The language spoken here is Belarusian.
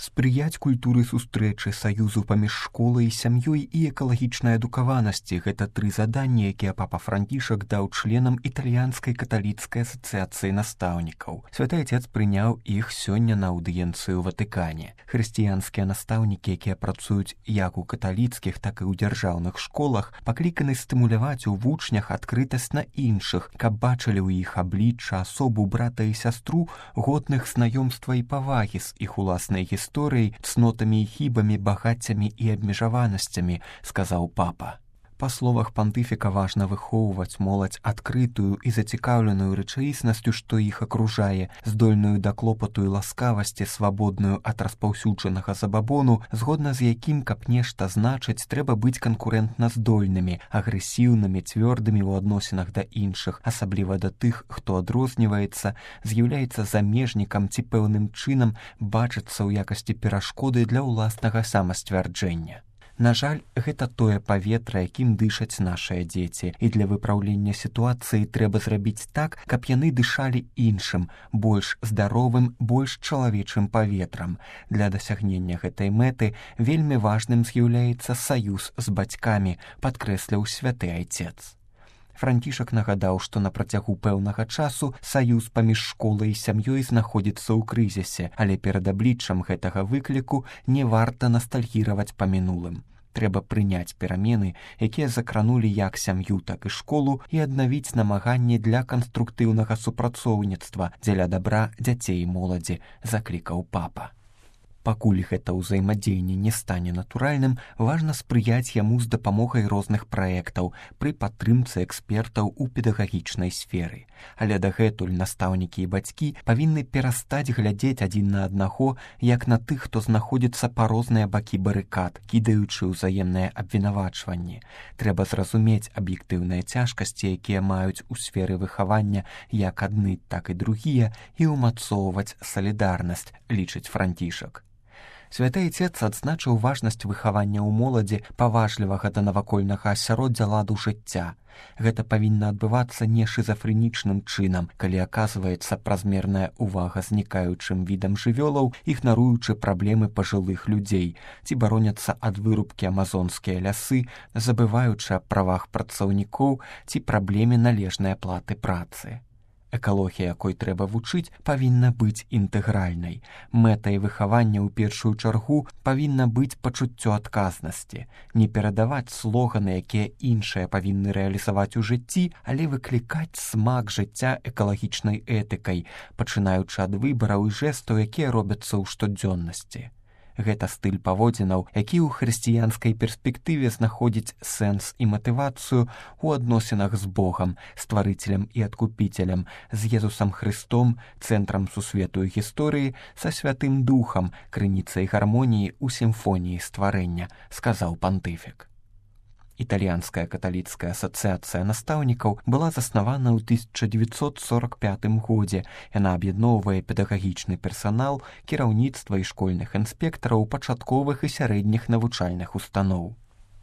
Спрыяць культуры сустрэчы, саюзу паміж школай, сям'ёй і экалагічнай адукаванасці – гэта 3 заданні, якія папа Францішак даў членам італьянскай каталіцкай асацыяцыі настаўнікаў. Святы Отец прыняў іх сёння на аўдыенцыю ў Ватыкане. Хрысціянскія настаўнікі, якія працуюць як у каталіцкіх, так і ў дзяржаўных школах, пакліканы стымуляваць у вучнях адкрытасць на іншых, каб бачылі ў іх аблічча, асобу брата і сястру, годных знаёмства і павагі з іх уласнай гісторыяй, цнотамі і хібамі, багаццямі і абмежаванасцямі, сказаў папа. Па словах пантыфіка, важна выхоўваць моладзь адкрытую і зацікаўленую рэчаіснасцю, што іх акружае, здольную да клопату і ласкавасці, свабодную ад распаўсюджанага забабону, згодна з якім, каб нешта значыць, трэба быць канкурэнтна здольнымі, агрэсіўнымі, цвёрдымі ў адносінах да іншых, асабліва да тых, хто адрозніваецца, з'яўляецца замежнікам ці пэўным чынам бачыцца ў якасці перашкоды для ўласнага самасцвярджэння. На жаль, гэта тое паветра, якім дышаць нашыя дзеці, і для выпраўлення сітуацыі трэба зрабіць так, каб яны дышалі іншым, больш здаровым, больш чалавечым паветрам. Для дасягнення гэтай мэты вельмі важным з'яўляецца саюз з бацькамі, падкрэсліў святы Айцец. Францішак нагадаў, што на працягу пэўнага часу саюз паміж школай і сям'ёй знаходзіцца ў крызісе, але перад абліччам гэтага выкліку не варта настальгіраваць па мінулым. Трэба прыняць перамены, якія закранулі як сям'ю, так і школу, і аднавіць намаганні для канструктыўнага супрацоўніцтва дзеля дабра дзяцей і моладзі, заклікаў папа. Пакуль гэта ўзаемадзеянне не стане натуральным, важна спрыяць яму з дапамогай розных праектаў пры падтрымцы экспертаў у педагагічнай сферы. Але дагэтуль настаўнікі і бацькі павінны перастаць глядзець адзін на аднаго, як на тых, хто знаходзіцца па розныя бакі барыкад, кідаючы ўзаемнае абвінавачванне. Трэба зразумець аб'ектыўныя цяжкасці, якія маюць у сферы выхавання як адны, так і другія, і ўмацоўваць салідарнасць, лічыць Францішак. Святы Отец адзначыў важнасць выхавання ў моладзі, паважлівага да навакольнага асяроддзя ладу жыцця. Гэта павінна адбывацца не шызафрэнічным чынам, калі аказваецца празмерная ўвага знікаючым відам жывёлаў, ігнаруючы праблемы пажылых людзей, ці бароняцца ад вырубкі амазонскія лясы, забываючы аб правах працаўнікоў ці праблеме належнай аплаты працы. Экалогія, якой трэба вучыць, павінна быць інтэгральнай. Мэтай выхавання ў першую чаргу павінна быць пачуццё адказнасці. Не перадаваць слоганы, якія іншыя павінны рэалізаваць у жыцці, але выклікаць смак жыцця экалагічнай этыкай, пачынаючы ад выбараў і жэстаў, якія робяцца ў штодзённасці. Гэта стыль паводзінаў, які ў хрысціянскай перспектыве знаходзіць сэнс і матывацыю ў адносінах з Богам, стварыцелем і адкупіцелем, з Езусам Хрыстом, цэнтрам сусвету і гісторыі, са Святым Духам, крыніцай гармоніі ў сімфоніі стварэння, сказаў пантыфік. Італьянская каталіцкая асацыяцыя настаўнікаў была заснавана ў 1945 годзе. Яна аб'ядноўвае педагагічны персанал, кіраўніцтва і школьных інспектараў пачатковых і сярэдніх навучальных устаноў.